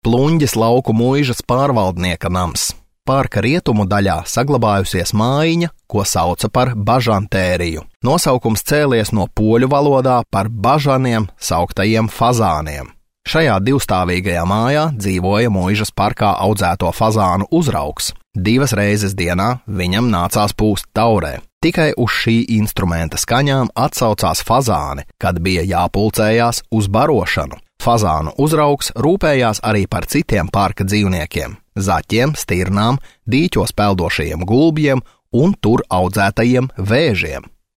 Pluņģes lauku muižas pārvaldnieka nams. Parka rietumu daļā saglabājusies mājiņa, ko sauca par bažantēriju. Nosaukums cēlies no poļu valodā par bažaniem sauktajiem fazāniem. Šajā divstāvīgajā mājā dzīvoja muižas parkā audzēto fazānu uzraugs. 2 reizes dienā viņam nācās pūst taurē. Tikai uz šī instrumenta skaņām atsaucās fazāni, kad bija jāpulcējās uz barošanu. Fazānu uzraugs rūpējās arī par citiem parka dzīvniekiem – zaķiem, stirnām, dīķos peldošajiem gulbjiem un tur audzētajiem vēžiem.